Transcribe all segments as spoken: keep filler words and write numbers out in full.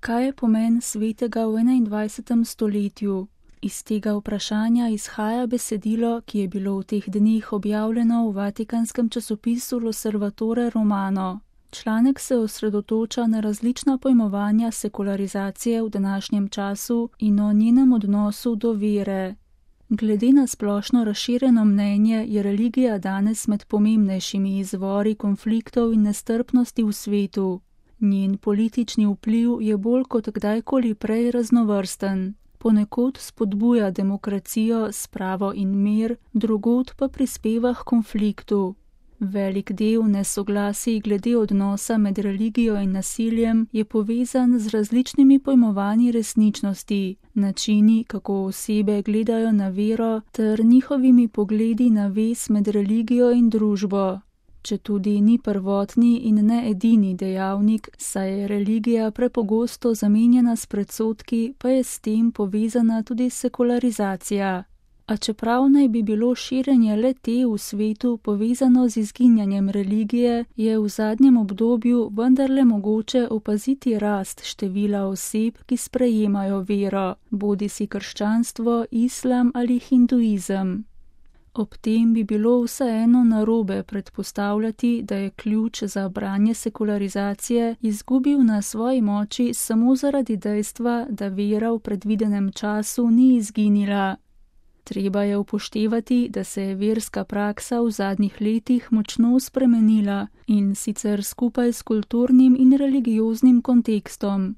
Kaj je pomen svetega v enaindvajsetem stoletju? Iz tega vprašanja izhaja besedilo, ki je bilo v teh dneh objavljeno v vatikanskem časopisu L'Osservatore Romano. Članek se osredotoča na različna pojmovanja sekularizacije v današnjem času in o njenem odnosu do vere. Glede na splošno razširjeno mnenje je religija danes med pomembnejšimi izvori konfliktov in nestrpnosti v svetu. Njen politični vpliv je bolj kot kdajkoli prej raznovrsten. Ponekod spodbuja demokracijo, spravo in mir, drugod pa prispeva k konfliktu. Velik del nesoglasij glede odnosa med religijo in nasiljem je povezan z različnimi pojmovanji resničnosti, načini, kako osebe gledajo na vero, ter njihovimi pogledi na vez med religijo in družbo. Četudi ni prvotni in ne edini dejavnik, saj je religija prepogosto zamenjana s predsodki, pa je s tem povezana tudi sekularizacija. A čeprav naj bi bilo širjenje le-te v svetu povezano z izginjanjem religije, je v zadnjem obdobju vendarle mogoče opaziti rast števila oseb, ki sprejemajo vero, bodisi krščanstvo, islam ali hinduizem. Ob tem bi bilo vseeno narobe predpostavljati, da je ključ za branje sekularizacije izgubil na svoji moči samo zaradi dejstva, da vera v predvidenem času ni izginila. Treba je upoštevati, da se je verska praksa v zadnjih letih močno spremenila in sicer skupaj s kulturnim in religioznim kontekstom.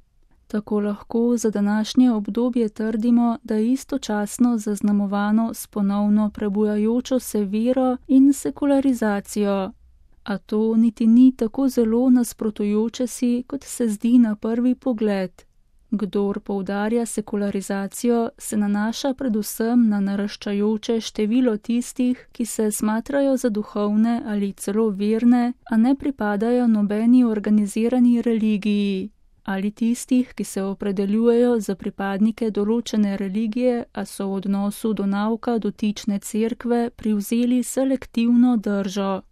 Tako lahko za današnje obdobje trdimo, da je istočasno zaznamovano s ponovno prebujajočo se vero in sekularizacijo. A to niti ni tako zelo nasprotujoče si, kot se zdi na prvi pogled. Kdor poudarja sekularizacijo, se nanaša predvsem na naraščajoče število tistih, ki se smatrajo za duhovne ali celo verne, a ne pripadajo nobeni organizirani religiji. Ali tistih, ki se opredeljujejo za pripadnike določene religije, a so v odnosu do nauka dotične cerkve privzeli selektivno držo.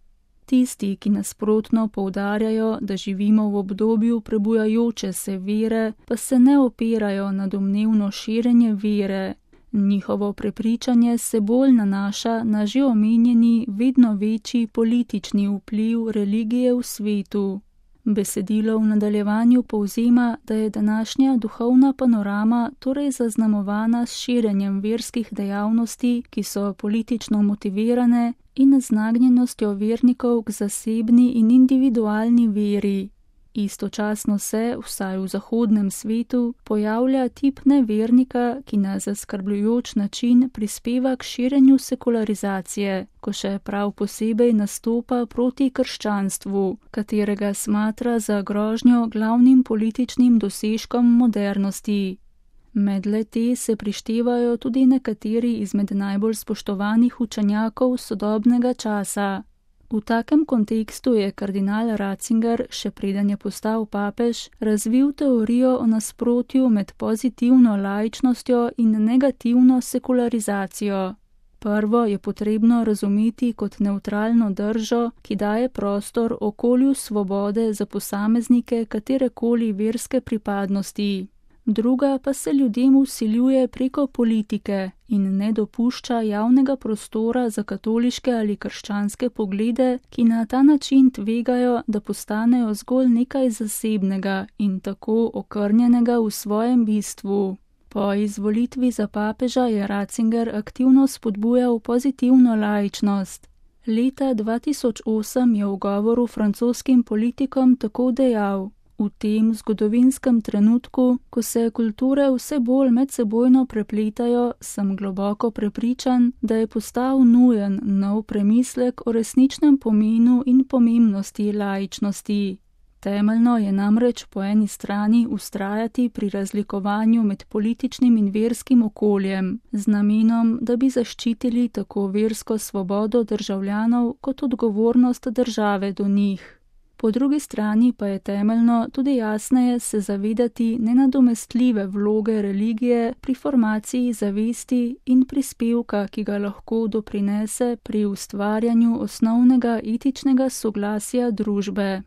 Tisti, ki nasprotno poudarjajo, da živimo v obdobju prebujajoče se vere, pa se ne opirajo na domnevno širjenje vere. Njihovo prepričanje se bolj nanaša na že omenjeni vedno večji politični vpliv religije v svetu. Besedilo v nadaljevanju povzema, da je današnja duhovna panorama torej zaznamovana s širjenjem verskih dejavnosti, ki so politično motivirane, in z nagnjenostjo vernikov k zasebni in individualni veri. Istočasno se, vsaj v zahodnem svetu, pojavlja tip nevernika, ki na zaskrbljujoč način prispeva k širjenju sekularizacije, ko še prav posebej nastopa proti krščanstvu, katerega smatra za grožnjo glavnim političnim dosežkom modernosti. Med le-te se prištevajo tudi nekateri izmed najbolj spoštovanih učenjakov sodobnega časa. V takem kontekstu je kardinal Ratzinger, še preden je postal papež, razvil teorijo o nasprotju med pozitivno laičnostjo in negativno sekularizacijo. Prvo je potrebno razumeti kot nevtralno držo, ki daje prostor okolju svobode za posameznike katerekoli verske pripadnosti. Druga pa se ljudem vsiljuje preko politike in ne dopušča javnega prostora za katoliške ali krščanske poglede, ki na ta način tvegajo, da postanejo zgolj nekaj zasebnega in tako okrnjenega v svojem bistvu. Po izvolitvi za papeža je Ratzinger aktivno spodbujal pozitivno laičnost. Leta dva tisoč osem je v govoru francoskim politikom tako dejal: V tem zgodovinskem trenutku, ko se kulture vse bolj medsebojno prepletajo, sem globoko prepričan, da je postal nujen nov premislek o resničnem pomenu in pomembnosti laičnosti. Temeljno je namreč po eni strani vztrajati pri razlikovanju med političnim in verskim okoljem, z namenom, da bi zaščitili tako versko svobodo državljanov kot odgovornost države do njih. Po drugi strani pa je temeljno tudi jasneje se zavedati nenadomestljive vloge religije pri formaciji zavesti in prispevka, ki ga lahko doprinese pri ustvarjanju osnovnega etičnega soglasja družbe.